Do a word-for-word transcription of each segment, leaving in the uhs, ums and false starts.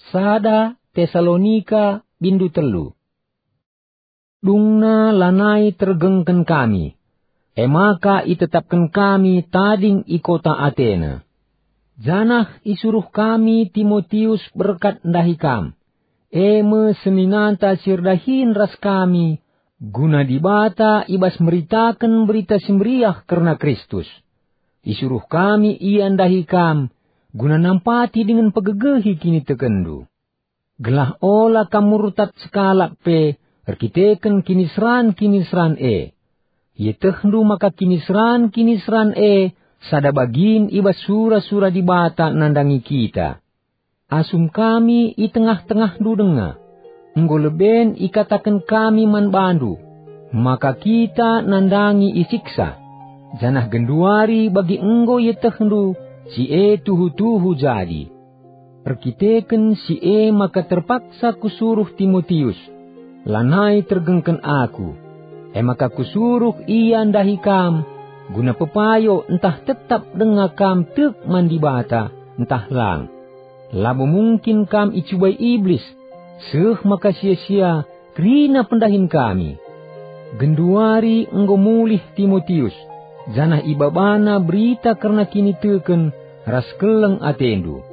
Sada Tesalonika, bindu telu. Dungna lanai tergengken kami, e maka itetapken kami tading i kota Atena. Janah isuruh kami Timotius berkat ndahi kam, e me seninanta si erdahin ras kami, guna Dibata i bas meritaken Berita Si Meriah kerna Kristus. Isuruh kami ia ndahi kam, guna nampati dingen pegegehi kinitekenndu. Gelah ola kam murtad sekalak pe erkiteken kiniseran-kiniseran e. Ietehndu maka kiniseran-kiniseran e sada bagin i bas sura-sura Dibata nandangi kita. Asum kami i tengah-tengahndu denga, enggo leben ikataken kami man bandu, maka kita nandangi isiksa, janah genduari bagi enggo ietehndu si e tuhu-tuhu jadi. Erkiteken si e maka terpaksa kusuruh Timotius, lanai tergengken aku. E maka kusuruh ia ndahi kam, guna pepayo ntah tetap denga kam tek man Dibata, ntah lang. Labo mungkin kam icubai Iblis, seh maka sia-sia kerina pendahin kami. Genduari enggo mulih Timotius, janah ibabana berita kerna kiniteken ras keleng atendu.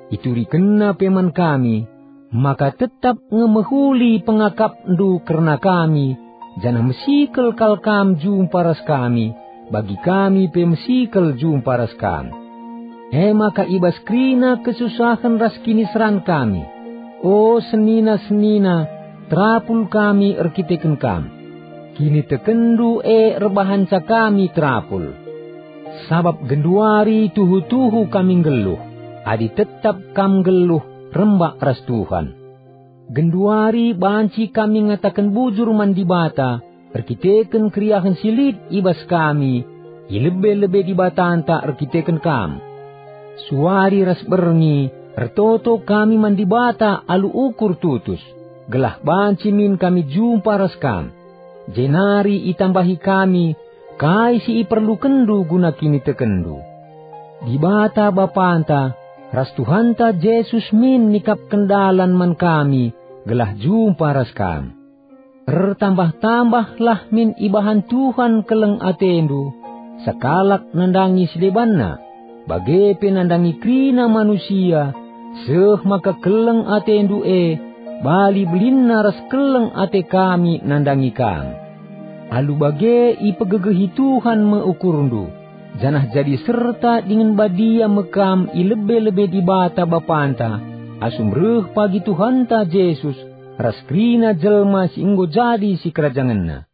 Iturikenna pe man kami, maka tetap nge mehuli pengakapndu kerna kami, janah mesikel kal kam jumpa ras kami, bagi kami pe mesikel jumpa ras kam. E maka i bas kerina kesusahen ras kiniseran kami, o senina-senina, terapul kami erkiteken kam. Kinitekenndu e erbahanca kami terapul. Sabap genduari tuhu-tuhu kami nggeluh, adi tetap kam nggeluh rembak ras Tuhan. Genduari banci kami ngataken bujur man Dibata erkiteken keriahen si lit i bas kami i lebe-lebe Dibatanta erkiteken kam. Suari ras berngi ertoto kami man Dibata alu ukur tutus, gelah banci min kami jumpa ras kam. Jenari itambahi kami kai si iperlukenndu guna kinitekenndu. Dibata Bapanta ras Tuhanta Jesus min nikapken dalan man kami gelah jumpa ras kam. Ertambah-tambahlah min ibahan Tuhan keleng atendu, sekalak nandangi si debanna, bage pe nandangi kerina manusia, seh maka keleng atendu e bali belinna ras keleng ate kami nandangi kam. Alu bage ipegegehi Tuhan me ukurndu, janah jadi serta dingen badia me kam i lebe-lebe Dibata Bapanta, asum reh pagi Tuhanta Jesus ras kerina jelma si enggo jadi sikerajangenNa.